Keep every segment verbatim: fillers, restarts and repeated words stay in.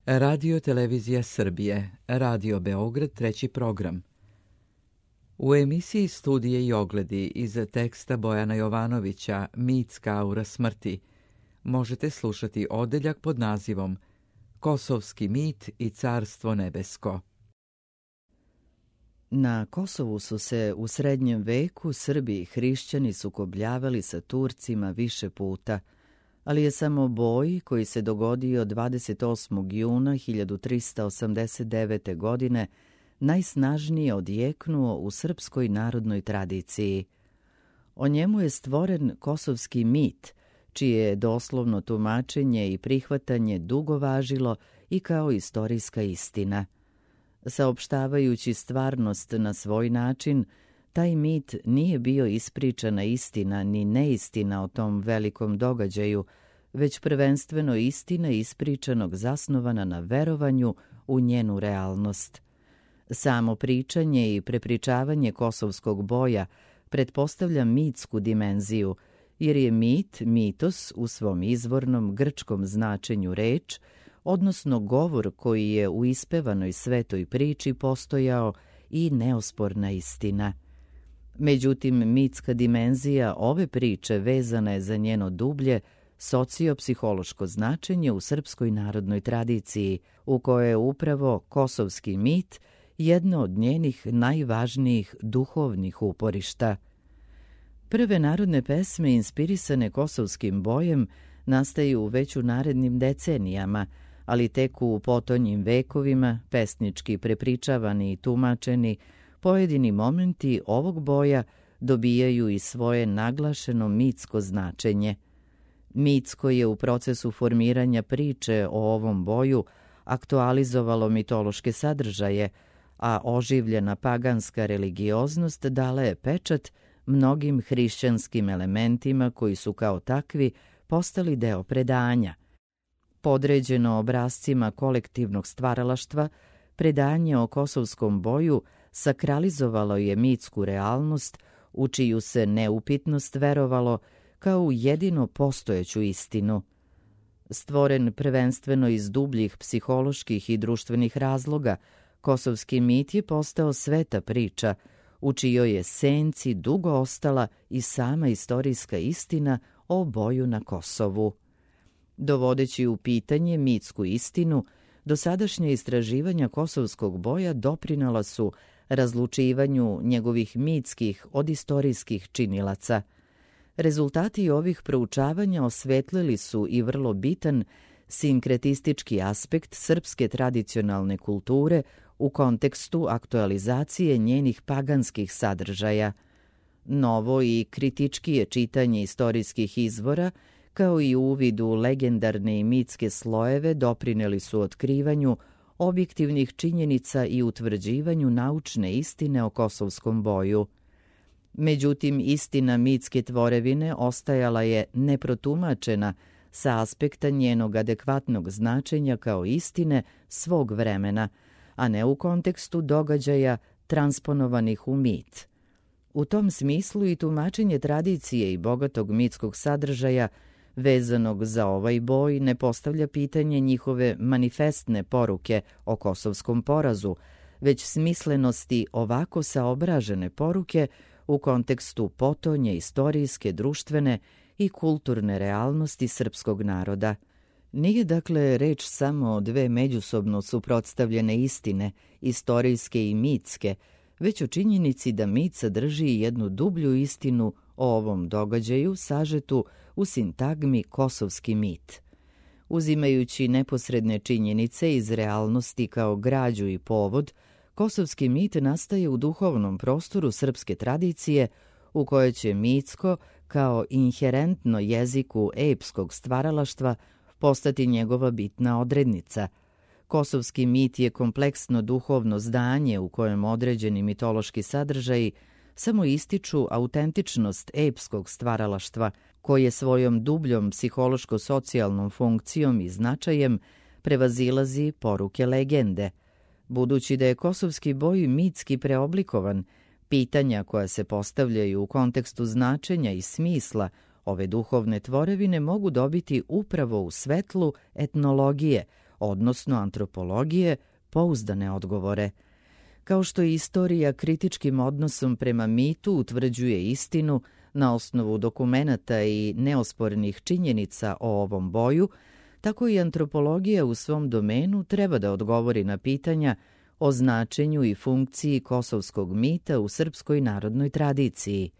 Radio Televizija Srbije, Radio Beograd, treći program. U emisiji Studije i ogledi iz teksta Bojana Jovanovića Mitska aura smrti možete slušati odeljak pod nazivom Kosovski mit i carstvo nebesko. Na Kosovu su se u srednjem veku Srbi i hrišćani sukobljavali sa Turcima više puta, ali je samo boj koji se dogodio dvadeset osmog juna hiljadu trista osamdeset devete. godine najsnažnije odjeknuo u srpskoj narodnoj tradiciji. O njemu je stvoren kosovski mit, čije je doslovno tumačenje i prihvatanje dugo važilo i kao istorijska istina. Saopštavajući stvarnost na svoj način, taj mit nije bio ispričana istina ni neistina o tom velikom događaju, već prvenstveno istina ispričanog zasnovana na verovanju u njenu realnost. Samo pričanje i prepričavanje kosovskog boja pretpostavlja mitsku dimenziju, jer je mit, mitos u svom izvornom grčkom značenju reč, odnosno govor koji je u ispevanoj svetoj priči postojao i neosporna istina. Međutim, mitska dimenzija ove priče vezana je za njeno dublje sociopsihološko značenje u srpskoj narodnoj tradiciji, u kojoj je upravo kosovski mit jedno od njenih najvažnijih duhovnih uporišta. Prve narodne pesme inspirisane kosovskim bojem nastaju već u narednim decenijama, ali tek u potonjim vekovima, pesnički prepričavani i tumačeni, pojedini momenti ovog boja dobijaju i svoje naglašeno mitsko značenje. Mitsko je u procesu formiranja priče o ovom boju aktualizovalo mitološke sadržaje, a oživljena paganska religioznost dala je pečat mnogim hrišćanskim elementima koji su kao takvi postali deo predanja. Podređeno obrascima kolektivnog stvaralaštva, predanje o kosovskom boju sakralizovalo je mitsku realnost u čiju se neupitnost verovalo kao u jedino postojeću istinu. Stvoren prvenstveno iz dubljih psiholoških i društvenih razloga, kosovski mit je postao sveta priča, u čijoj je senci dugo ostala i sama istorijska istina o boju na Kosovu. Dovodeći u pitanje mitsku istinu, dosadašnja istraživanja kosovskog boja doprinala su razlučivanju njegovih mitskih od istorijskih činilaca. Rezultati ovih proučavanja osvetlili su i vrlo bitan sinkretistički aspekt srpske tradicionalne kulture u kontekstu aktualizacije njenih paganskih sadržaja. Novo i kritičkije čitanje istorijskih izvora, kao i uvid u legendarne i mitske slojeve, doprineli su otkrivanju objektivnih činjenica i utvrđivanju naučne istine o kosovskom boju. Međutim, istina mitske tvorevine ostajala je neprotumačena sa aspekta njenog adekvatnog značenja kao istine svog vremena, a ne u kontekstu događaja transponovanih u mit. U tom smislu i tumačenje tradicije i bogatog mitskog sadržaja vezanog za ovaj boj ne postavlja pitanje njihove manifestne poruke o kosovskom porazu, već smislenosti ovako saobražene poruke u kontekstu potonje istorijske, društvene i kulturne realnosti srpskog naroda. Nije dakle reč samo o dve međusobno suprotstavljene istine, istorijske i mitske, već o činjenici da mit sadrži jednu dublju istinu o ovom događaju sažetu u sintagmi kosovski mit. Uzimajući neposredne činjenice iz realnosti kao građu i povod, kosovski mit nastaje u duhovnom prostoru srpske tradicije u kojoj će mitsko, kao inherentno jeziku epskog stvaralaštva, postati njegova bitna odrednica. Kosovski mit je kompleksno duhovno zdanje u kojem određeni mitološki sadržaji samo ističu autentičnost epskog stvaralaštva, koje svojom dubljom psihološko-socijalnom funkcijom i značajem prevazilazi poruke legende. Budući da je kosovski boj mitski preoblikovan, pitanja koja se postavljaju u kontekstu značenja i smisla ove duhovne tvorevine mogu dobiti upravo u svetlu etnologije, odnosno antropologije, pouzdane odgovore. Kao što i istorija kritičkim odnosom prema mitu utvrđuje istinu na osnovu dokumenata i neospornih činjenica o ovom boju, tako i antropologija u svom domenu treba da odgovori na pitanja o značenju i funkciji kosovskog mita u srpskoj narodnoj tradiciji.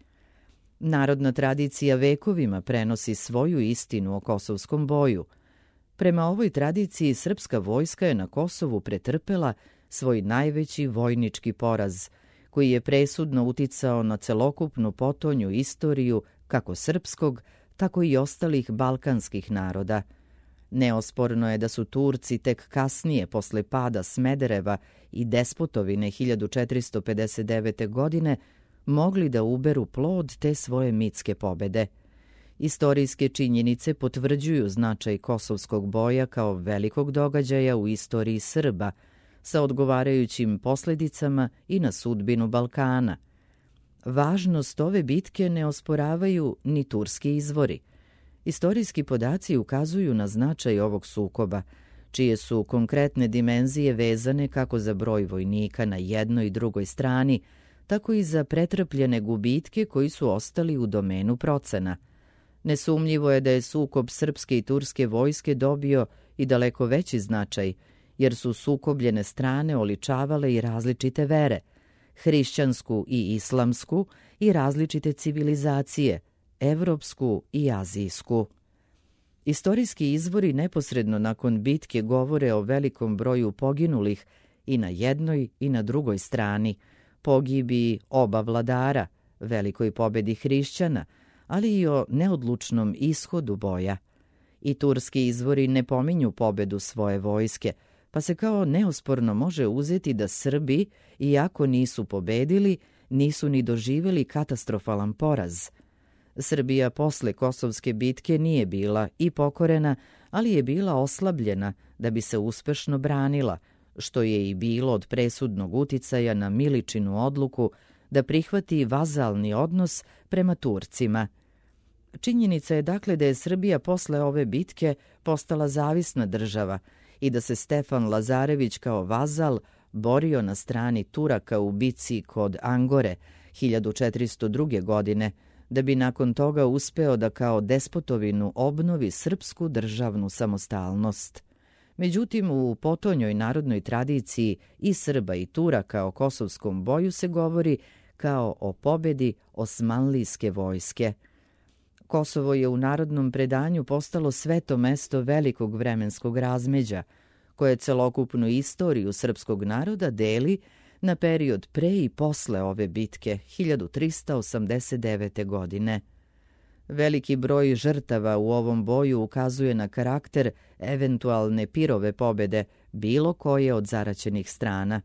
Narodna tradicija vekovima prenosi svoju istinu o kosovskom boju. Prema ovoj tradiciji srpska vojska je na Kosovu pretrpela svoj najveći vojnički poraz, koji je presudno uticao na celokupnu potonju istoriju kako srpskog, tako i ostalih balkanskih naroda. Neosporno je da su Turci tek kasnije, posle pada Smedereva i Despotovine hiljadu četiristo pedeset devete. godine, mogli da uberu plod te svoje mitske pobede. Istorijske činjenice potvrđuju značaj kosovskog boja kao velikog događaja u istoriji Srba, sa odgovarajućim posljedicama i na sudbinu Balkana. Važnost ove bitke ne osporavaju ni turski izvori. Istorijski podaci ukazuju na značaj ovog sukoba, čije su konkretne dimenzije vezane kako za broj vojnika na jednoj i drugoj strani, tako i za pretrpljene gubitke koji su ostali u domenu procena. Nesumnjivo je da je sukob srpske i turske vojske dobio i daleko veći značaj, jer su sukobljene strane oličavale i različite vere, hrišćansku i islamsku, i različite civilizacije, evropsku i azijsku. Istorijski izvori neposredno nakon bitke govore o velikom broju poginulih i na jednoj i na drugoj strani, pogibiji oba vladara, velikoj pobedi hrišćana, ali i o neodlučnom ishodu boja. I turski izvori ne pominju pobedu svoje vojske, pa se kao neosporno može uzeti da Srbi, iako nisu pobedili, nisu ni doživjeli katastrofalan poraz. Srbija posle Kosovske bitke nije bila i pokorena, ali je bila oslabljena da bi se uspešno branila, što je i bilo od presudnog uticaja na Miličinu odluku da prihvati vazalni odnos prema Turcima. Činjenica je dakle da je Srbija posle ove bitke postala zavisna država i da se Stefan Lazarević kao vazal borio na strani Turaka u bici kod Angore hiljadu četiristo druge. godine, da bi nakon toga uspeo da kao despotovinu obnovi srpsku državnu samostalnost. Međutim, u potonjoj narodnoj tradiciji i Srba i Turaka o kosovskom boju se govori kao o pobedi osmanlijske vojske. Kosovo je u narodnom predanju postalo sveto mesto velikog vremenskog razmeđa, koje celokupnu istoriju srpskog naroda deli na period pre i posle ove bitke hiljadu trista osamdeset devete. godine. Veliki broj žrtava u ovom boju ukazuje na karakter eventualne pirove pobede bilo koje od zaraćenih strana.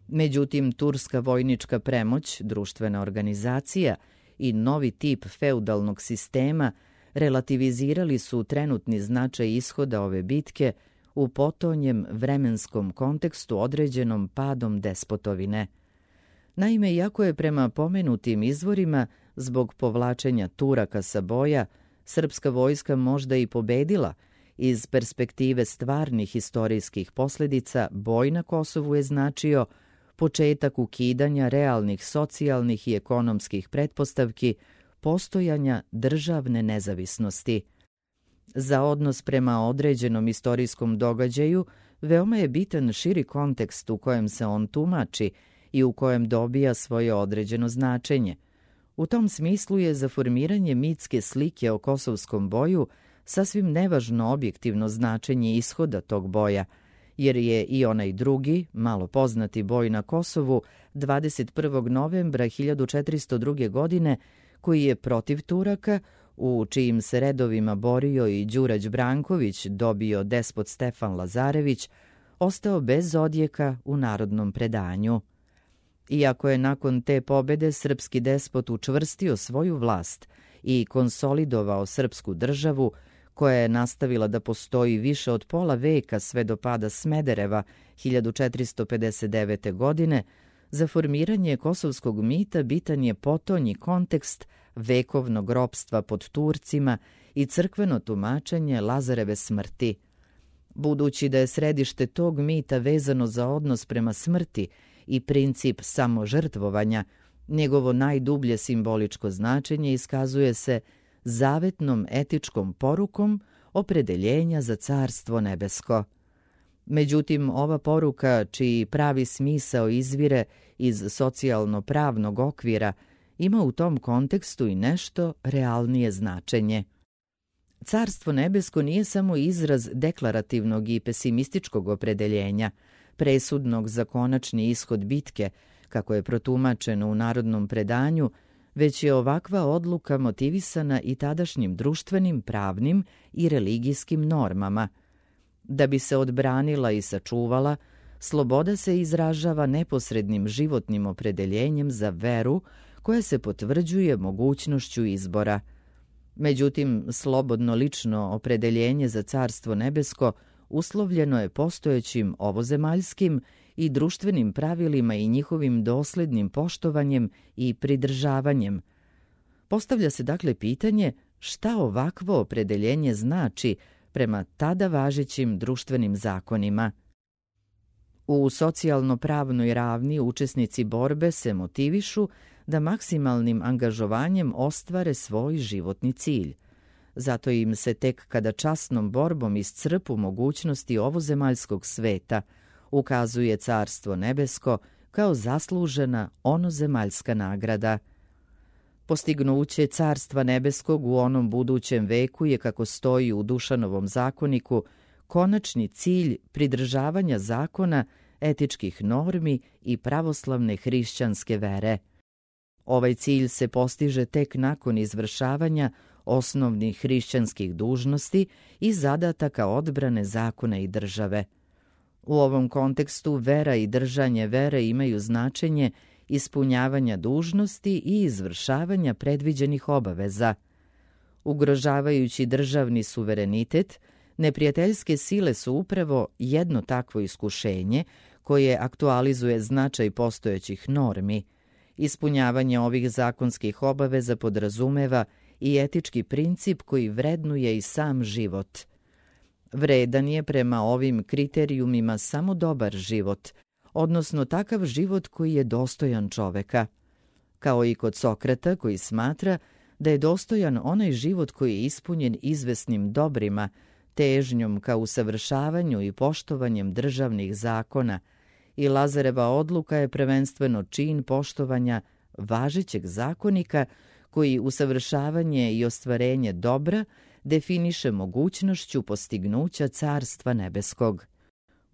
Međutim, turska vojnička premoć, društvena organizacija i novi tip feudalnog sistema relativizirali su trenutni značaj ishoda ove bitke u potonjem vremenskom kontekstu određenom padom despotovine. Naime, iako je prema pomenutim izvorima zbog povlačenja Turaka sa boja srpska vojska možda i pobedila, iz perspektive stvarnih historijskih posljedica boj na Kosovu je značio početak ukidanja realnih socijalnih i ekonomskih pretpostavki postojanja državne nezavisnosti. Za odnos prema određenom istorijskom događaju veoma je bitan širi kontekst u kojem se on tumači i u kojem dobija svoje određeno značenje. U tom smislu je za formiranje mitske slike o kosovskom boju sasvim nevažno objektivno značenje ishoda tog boja, jer je i onaj drugi, malo poznati boj na Kosovu dvadeset prvog novembra hiljadu četiristo druge. godine, koji je protiv Turaka, u čijim se redovima borio i Đurađ Branković, dobio despot Stefan Lazarević, ostao bez odjeka u narodnom predanju. Iako je nakon te pobede srpski despot učvrstio svoju vlast i konsolidovao srpsku državu, koja je nastavila da postoji više od pola veka sve do pada Smedereva hiljadu četiristo pedeset devete. godine, za formiranje kosovskog mita bitan je potonji kontekst vekovnog ropstva pod Turcima i crkveno tumačenje Lazareve smrti. Budući da je središte tog mita vezano za odnos prema smrti i princip samožrtvovanja, njegovo najdublje simboličko značenje iskazuje se zavetnom etičkom porukom opredeljenja za Carstvo nebesko. Međutim, ova poruka, čiji pravi smisao izvire iz socijalno-pravnog okvira, ima u tom kontekstu i nešto realnije značenje. Carstvo nebesko nije samo izraz deklarativnog i pesimističkog opredeljenja, presudnog za konačni ishod bitke, kako je protumačeno u narodnom predanju, već je ovakva odluka motivisana i tadašnjim društvenim, pravnim i religijskim normama. Da bi se odbranila i sačuvala, sloboda se izražava neposrednim životnim opredeljenjem za veru koja se potvrđuje mogućnošću izbora. Međutim, slobodno lično opredeljenje za Carstvo nebesko uslovljeno je postojećim ovozemaljskim i društvenim pravilima i njihovim doslednim poštovanjem i pridržavanjem. Postavlja se dakle pitanje šta ovakvo opredeljenje znači prema tada važećim društvenim zakonima. U socijalno-pravnoj ravni učesnici borbe se motivišu da maksimalnim angažovanjem ostvare svoj životni cilj. Zato im se tek kada časnom borbom iscrpu mogućnosti ovozemaljskog sveta ukazuje Carstvo nebesko kao zaslužena onozemaljska nagrada. Postignuće Carstva nebeskog u onom budućem veku je, kako stoji u Dušanovom zakoniku, konačni cilj pridržavanja zakona, etičkih normi i pravoslavne hrišćanske vere. Ovaj cilj se postiže tek nakon izvršavanja osnovnih hrišćanskih dužnosti i zadataka odbrane zakona i države. U ovom kontekstu vera i držanje vere imaju značenje ispunjavanja dužnosti i izvršavanja predviđenih obaveza. Ugrožavajući državni suverenitet, neprijateljske sile su upravo jedno takvo iskušenje koje aktualizuje značaj postojećih normi. Ispunjavanje ovih zakonskih obaveza podrazumeva i etički princip koji vrednuje i sam život. Vredan je prema ovim kriterijumima samo dobar život, odnosno takav život koji je dostojan čoveka. Kao i kod Sokrata, koji smatra da je dostojan onaj život koji je ispunjen izvesnim dobrima, težnjom ka usavršavanju i poštovanjem državnih zakona, i Lazareva odluka je prvenstveno čin poštovanja važećeg zakonika koji usavršavanje i ostvarenje dobra definiše mogućnošću postignuća Carstva nebeskog.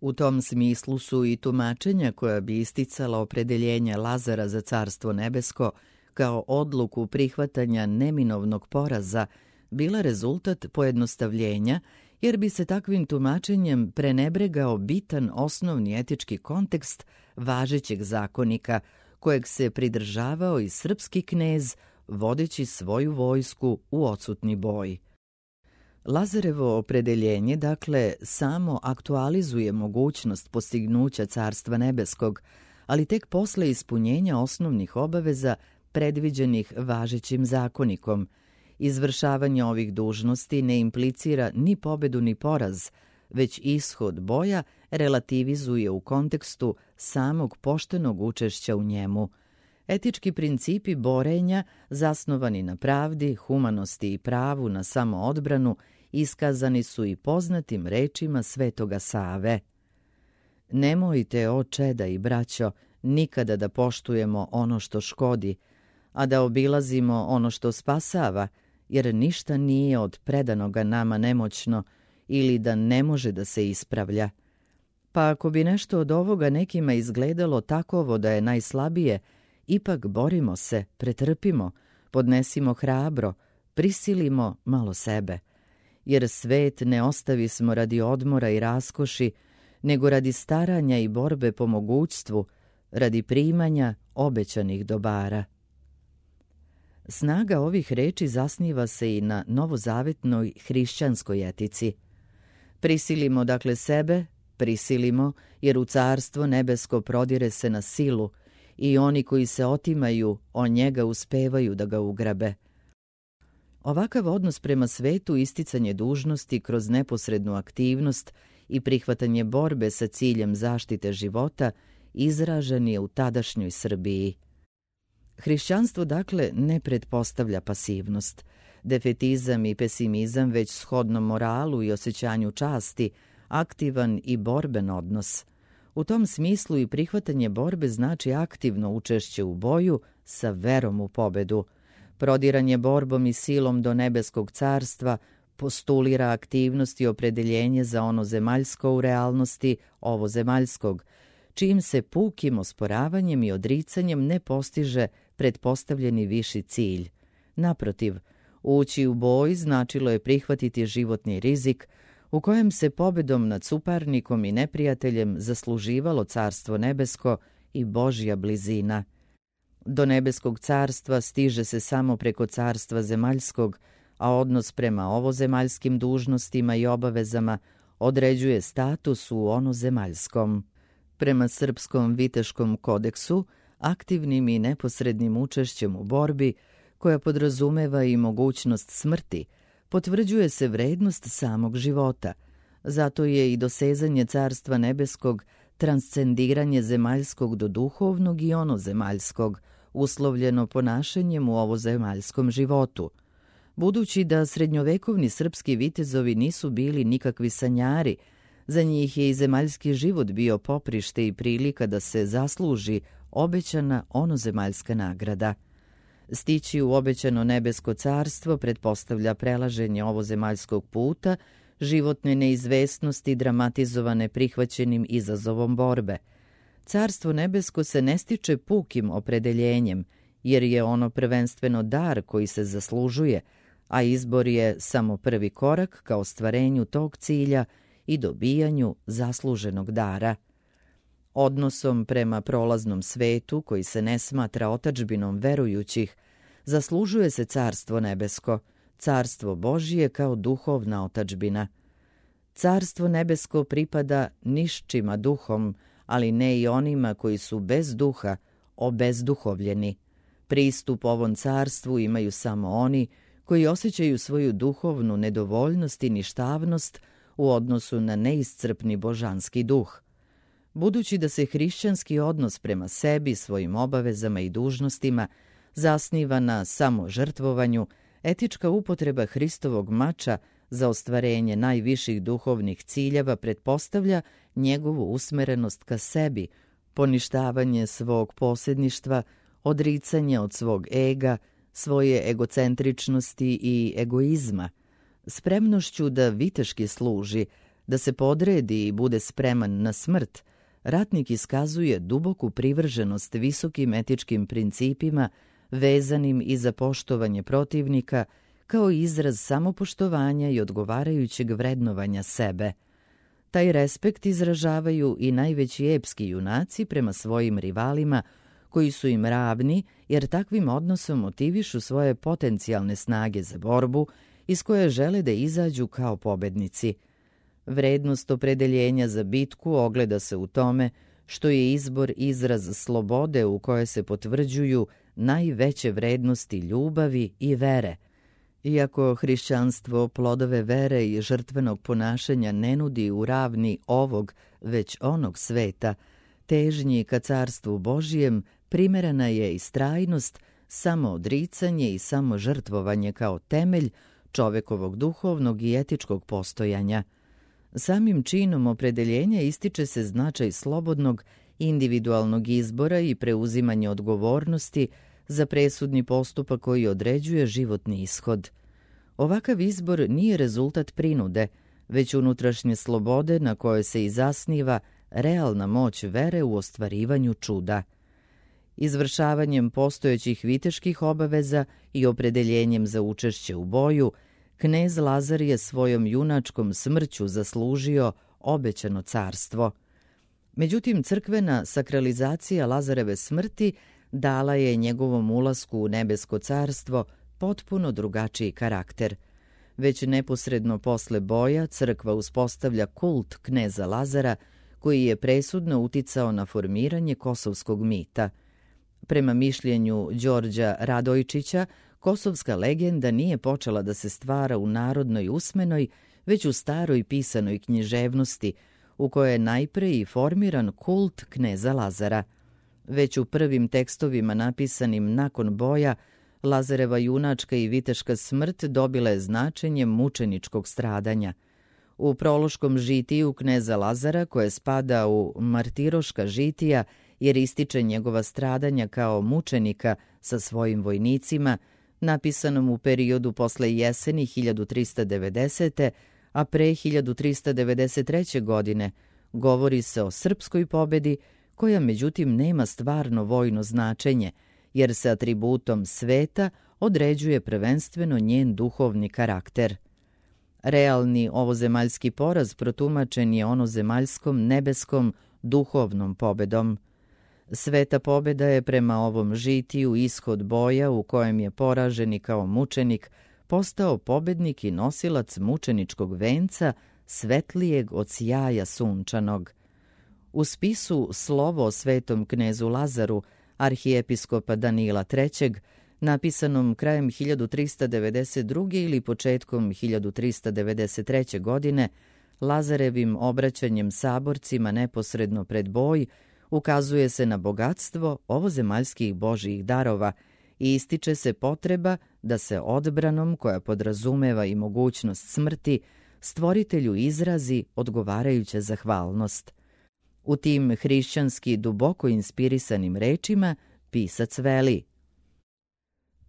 U tom smislu su i tumačenja koja bi isticala opredeljenje Lazara za Carstvo nebesko kao odluku prihvatanja neminovnog poraza bila rezultat pojednostavljenja, jer bi se takvim tumačenjem prenebregao bitan osnovni etički kontekst važećeg zakonika, kojeg se pridržavao i srpski knez, vodeći svoju vojsku u odsutni boj. Lazarevo opredeljenje, dakle, samo aktualizuje mogućnost postignuća Carstva nebeskog, ali tek posle ispunjenja osnovnih obaveza predviđenih važećim zakonikom. Izvršavanje ovih dužnosti ne implicira ni pobedu ni poraz, već ishod boja relativizuje u kontekstu samog poštenog učešća u njemu. Etički principi borenja, zasnovani na pravdi, humanosti i pravu na samoodbranu, iskazani su i poznatim rečima Svetoga Save. Nemojte, o čeda i braćo, nikada da poštujemo ono što škodi, a da obilazimo ono što spasava, jer ništa nije od predanoga nama nemoćno ili da ne može da se ispravlja. Pa ako bi nešto od ovoga nekima izgledalo takovo da je najslabije, ipak borimo se, pretrpimo, podnesimo hrabro, prisilimo malo sebe. Jer svet ne ostavismo radi odmora i raskoši, nego radi staranja i borbe po mogućstvu, radi primanja obećanih dobara. Snaga ovih reči zasniva se i na novozavetnoj hrišćanskoj etici. Prisilimo dakle sebe, prisilimo, jer u Carstvo nebesko prodire se na silu i oni koji se otimaju o njega uspevaju da ga ugrabe. Ovakav odnos prema svetu, isticanje dužnosti kroz neposrednu aktivnost i prihvatanje borbe sa ciljem zaštite života izražen je u tadašnjoj Srbiji. Hrišćanstvo, dakle, ne pretpostavlja pasivnost, defetizam i pesimizam, već shodno moralu i osjećanju časti, aktivan i borben odnos. U tom smislu i prihvatanje borbe znači aktivno učešće u boju sa verom u pobedu. Prodiranje borbom i silom do nebeskog carstva postulira aktivnost i opredeljenje za ono zemaljsko u realnosti ovo zemaljskog, čijim se pukim osporavanjem i odricanjem ne postiže pretpostavljeni viši cilj. Naprotiv, ući u boj značilo je prihvatiti životni rizik u kojem se pobedom nad suparnikom i neprijateljem zasluživalo carstvo nebesko i Božja blizina. Do nebeskog carstva stiže se samo preko carstva zemaljskog, a odnos prema ovozemaljskim dužnostima i obavezama određuje status u onozemaljskom. Prema Srpskom viteškom kodeksu, aktivnim i neposrednim učešćem u borbi, koja podrazumeva i mogućnost smrti, potvrđuje se vrednost samog života. Zato je i dosezanje carstva nebeskog transcendiranje zemaljskog do duhovnog i onozemaljskog, uslovljeno ponašanjem u ovozemaljskom životu. Budući da srednjovekovni srpski vitezovi nisu bili nikakvi sanjari, za njih je i zemaljski život bio poprište i prilika da se zasluži obećana onozemaljska nagrada. Stići u obećano nebesko carstvo pretpostavlja prelaženje ovozemaljskog puta, životne neizvesnosti dramatizovane prihvaćenim izazovom borbe. Carstvo nebesko se ne stiče pukim opredeljenjem, jer je ono prvenstveno dar koji se zaslužuje, a izbor je samo prvi korak ka ostvarenju tog cilja i dobijanju zasluženog dara. Odnosom prema prolaznom svetu, koji se ne smatra otadžbinom verujućih, zaslužuje se carstvo nebesko, carstvo Božije kao duhovna otadžbina. Carstvo nebesko pripada nišćima duhom, ali ne i onima koji su bez duha, obezduhovljeni. Pristup ovom carstvu imaju samo oni koji osjećaju svoju duhovnu nedovoljnost i ništavnost u odnosu na neiscrpni božanski duh. Budući da se hrišćanski odnos prema sebi, svojim obavezama i dužnostima zasniva na samožrtvovanju, etička upotreba Hristovog mača za ostvarenje najviših duhovnih ciljeva pretpostavlja njegovu usmerenost ka sebi, poništavanje svog posjedništva, odricanje od svog ega, svoje egocentričnosti i egoizma, spremnošću da viteški služi, da se podredi i bude spreman na smrt. Ratnik iskazuje duboku privrženost visokim etičkim principima vezanim i za poštovanje protivnika, kao izraz samopoštovanja i odgovarajućeg vrednovanja sebe. Taj respekt izražavaju i najveći epski junaci prema svojim rivalima, koji su im ravni, jer takvim odnosom motivišu svoje potencijalne snage za borbu, iz koje žele da izađu kao pobednici. Vrednost opredeljenja za bitku ogleda se u tome što je izbor izraz slobode u kojoj se potvrđuju najveće vrednosti ljubavi i vere. Iako hrišćanstvo plodove vere i žrtvenog ponašanja ne nudi u ravni ovog, već onog sveta, težnji ka carstvu Božijem primerana je istrajnost, samoodricanje i samožrtvovanje kao temelj čovekovog duhovnog i etičkog postojanja. Samim činom opredeljenja ističe se značaj slobodnog, individualnog izbora i preuzimanje odgovornosti za presudni postupak koji određuje životni ishod. Ovakav izbor nije rezultat prinude, već unutrašnje slobode na kojoj se i zasniva realna moć vere u ostvarivanju čuda. Izvršavanjem postojećih viteških obaveza i opredeljenjem za učešće u boju, knez Lazar je svojom junačkom smrću zaslužio obećano carstvo. Međutim, crkvena sakralizacija Lazareve smrti dala je njegovom ulasku u nebesko carstvo potpuno drugačiji karakter. Već neposredno posle boja crkva uspostavlja kult kneza Lazara, koji je presudno uticao na formiranje kosovskog mita. Prema mišljenju Đorđa Radojčića, kosovska legenda nije počela da se stvara u narodnoj usmenoj, već u staroj pisanoj književnosti, u kojoj je najpre i formiran kult kneza Lazara. Već u prvim tekstovima napisanim nakon boja, Lazareva junačka i viteška smrt dobila je značenje mučeničkog stradanja. U prološkom žitiju kneza Lazara, koje spada u martiroška žitija jer ističe njegova stradanja kao mučenika sa svojim vojnicima, napisanom u periodu posle jeseni hiljadu trista devedesete. a pre hiljadu trista devedeset treće. godine, govori se o srpskoj pobedi, koja međutim nema stvarno vojno značenje, jer se atributom sveta određuje prvenstveno njen duhovni karakter. Realni ovozemaljski poraz protumačen je onozemaljskom, nebeskom, duhovnom pobedom. Sveta pobeda je prema ovom žitiju ishod boja u kojem je poraženi kao mučenik postao pobednik i nosilac mučeničkog venca svetlijeg od sjaja sunčanog. U spisu Slovo o svetom knezu Lazaru, arhijepiskopa Danila trećeg, napisanom krajem hiljadu trista devedeset druge. ili početkom hiljadu trista devedeset treće. godine, Lazarevim obraćanjem saborcima neposredno pred boj, ukazuje se na bogatstvo ovozemaljskih božjih darova i ističe se potreba da se odbranom, koja podrazumeva i mogućnost smrti, stvoritelju izrazi odgovarajuća zahvalnost. U tim hrišćanski duboko inspirisanim rečima pisac veli: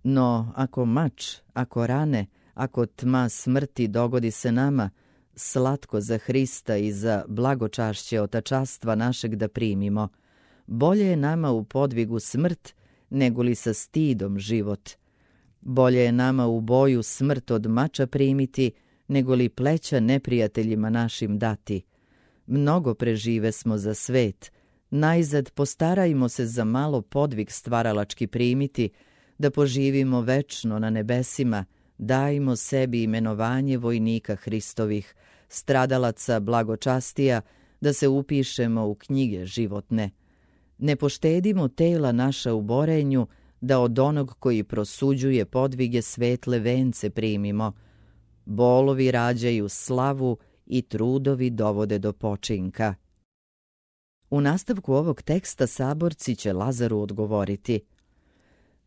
No, ako mač, ako rane, ako tma smrti dogodi se nama, slatko za Hrista i za blagočašće otačastva našeg da primimo. Bolje je nama u podvigu smrt, nego li sa stidom život. Bolje je nama u boju smrt od mača primiti, nego li pleća neprijateljima našim dati. Mnogo prežive smo za svet, najzad postarajmo se za malo podvig stvaralački primiti, da poživimo večno na nebesima, dajmo sebi imenovanje vojnika Hristovih, stradalaca blagočastija, da se upišemo u knjige životne. Ne poštedimo tela naša u borenju, da od onog koji prosuđuje podvige svetle vence primimo. Bolovi rađaju slavu i trudovi dovode do počinka. U nastavku ovog teksta saborci će Lazaru odgovoriti: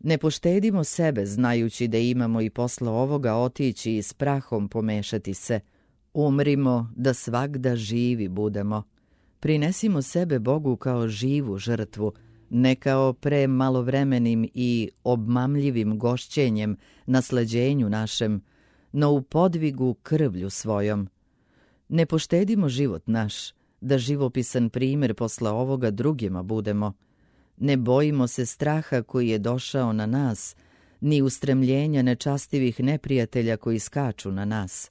Ne poštedimo sebe, znajući da imamo i posle ovoga otići i s prahom pomešati se. Umrimo da svagda živi budemo. Prinesimo sebe Bogu kao živu žrtvu, ne kao pre malovremenim i obmamljivim gošćenjem, nasleđenju našem, no u podvigu krvlju svojom. Ne poštedimo život naš, da živopisan primjer posle ovoga drugima budemo. Ne bojimo se straha koji je došao na nas, ni ustremljenja nečastivih neprijatelja koji skaču na nas.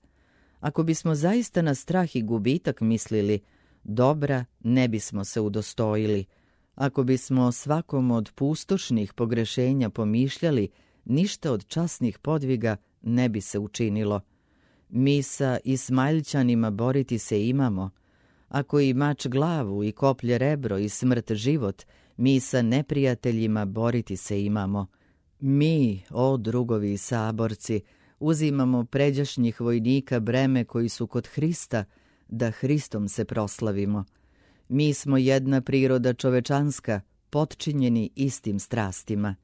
Ako bismo zaista na strah i gubitak mislili, dobra ne bismo se udostojili. Ako bismo svakom od pustošnih pogrešenja pomišljali, ništa od časnih podviga ne bi se učinilo. Mi sa Ismailčanima boriti se imamo. Ako i mač glavu i koplje rebro i smrt život, mi sa neprijateljima boriti se imamo. Mi, o drugovi i saborci, uzimamo pređašnjih vojnika breme koji su kod Hrista, da Hristom se proslavimo. Mi smo jedna priroda čovečanska, potčinjeni istim strastima.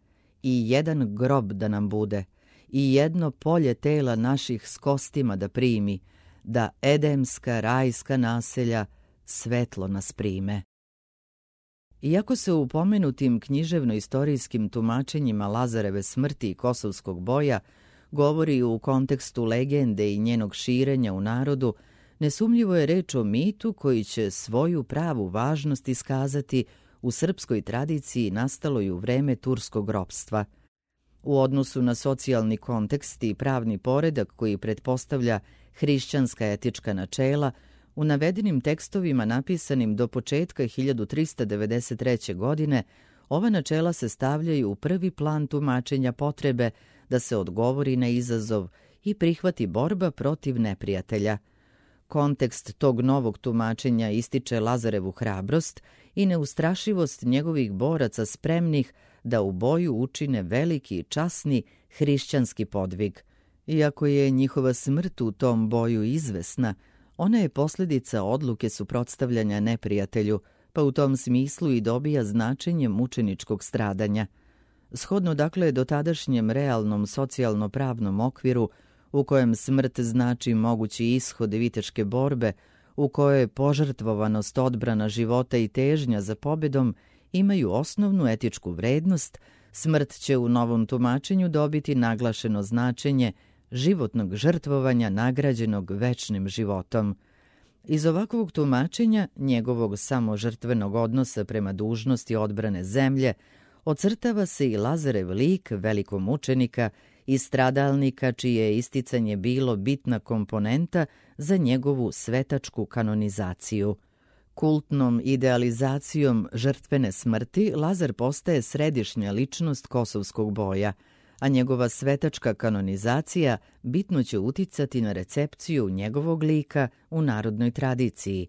I jedan grob da nam bude, i jedno polje tela naših s kostima da primi, da edemska rajska naselja svetlo nas prime. Iako se u pomenutim književno-istorijskim tumačenjima Lazareve smrti i Kosovskog boja govori u kontekstu legende i njenog širenja u narodu, nesumnjivo je reč o mitu koji će svoju pravu važnost iskazati u srpskoj tradiciji nastaloj u vreme turskog ropstva. U odnosu na socijalni kontekst i pravni poredak koji pretpostavlja hrišćanska etička načela, u navedenim tekstovima napisanim do početka hiljadu trista devedeset treće. godine, ova načela se stavljaju u prvi plan tumačenja potrebe da se odgovori na izazov i prihvati borba protiv neprijatelja. Kontekst tog novog tumačenja ističe Lazarevu hrabrost i neustrašivost njegovih boraca spremnih da u boju učine veliki i časni hrišćanski podvig. Iako je njihova smrt u tom boju izvesna, ona je posljedica odluke suprotstavljanja neprijatelju, pa u tom smislu i dobija značenje mučeničkog stradanja. Shodno dakle dotadašnjem realnom socijalno-pravnom okviru, u kojem smrt znači mogući ishod viteške borbe, u kojoj požrtvovanost, odbrana života i težnja za pobjedom imaju osnovnu etičku vrednost, smrt će u novom tumačenju dobiti naglašeno značenje životnog žrtvovanja nagrađenog večnim životom. Iz ovakvog tumačenja, njegovog samožrtvenog odnosa prema dužnosti odbrane zemlje, ocrtava se i Lazarev lik velikog mučenika i stradalnika čije je isticanje bilo bitna komponenta za njegovu svetačku kanonizaciju. Kultnom idealizacijom žrtvene smrti Lazar postaje središnja ličnost kosovskog boja, a njegova svetačka kanonizacija bitno će uticati na recepciju njegovog lika u narodnoj tradiciji.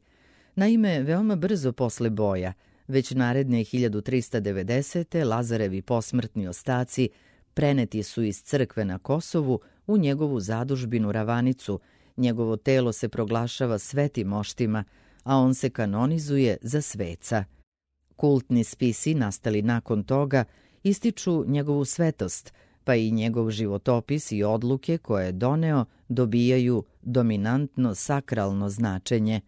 Naime, veoma brzo posle boja, već naredne hiljadu trista devedesete. Lazarevi posmrtni ostaci preneti su iz crkve na Kosovu u njegovu zadužbinu Ravanicu, njegovo telo se proglašava svetim moštima, a on se kanonizuje za sveca. Kultni spisi nastali nakon toga ističu njegovu svetost, pa i njegov životopis i odluke koje je doneo dobijaju dominantno sakralno značenje.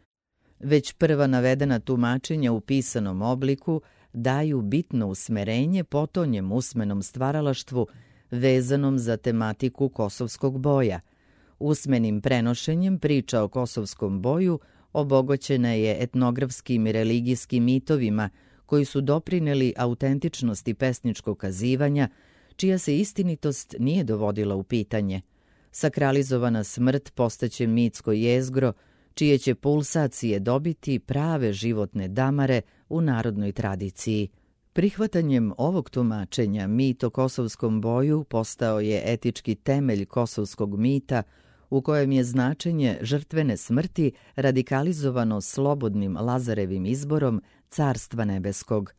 Već prva navedena tumačenja u pisanom obliku daju bitno usmerenje potonjem usmenom stvaralaštvu vezanom za tematiku kosovskog boja. Usmenim prenošenjem priča o kosovskom boju obogoćena je etnografskim i religijskim mitovima koji su doprineli autentičnosti pesničkog kazivanja, čija se istinitost nije dovodila u pitanje. Sakralizovana smrt postaće mitsko jezgro, čije će pulsacije dobiti prave životne damare u narodnoj tradiciji. Prihvatanjem ovog tumačenja mit o kosovskom boju postao je etički temelj kosovskog mita, u kojem je značenje žrtvene smrti radikalizovano slobodnim Lazarevim izborom Carstva nebeskog.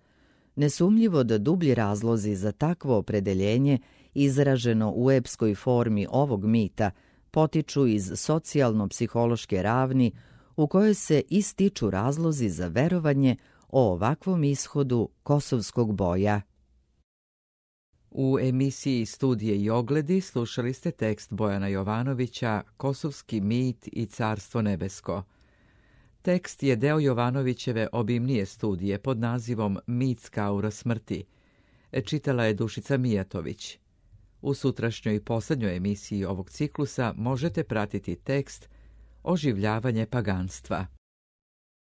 Nesumnjivo da dublji razlozi za takvo opredeljenje, izraženo u epskoj formi ovog mita, potiču iz socijalno-psihološke ravni u kojoj se ističu razlozi za verovanje o ovakvom ishodu kosovskog boja. U emisiji Studije i ogledi slušali ste tekst Bojana Jovanovića Kosovski mit i Carstvo nebesko. Tekst je deo Jovanovićeve obimnije studije pod nazivom Mitska aura smrti. Čitala je Dušica Mijatović. U sutrašnjoj posljednjoj emisiji ovog ciklusa možete pratiti tekst Oživljavanje paganstva.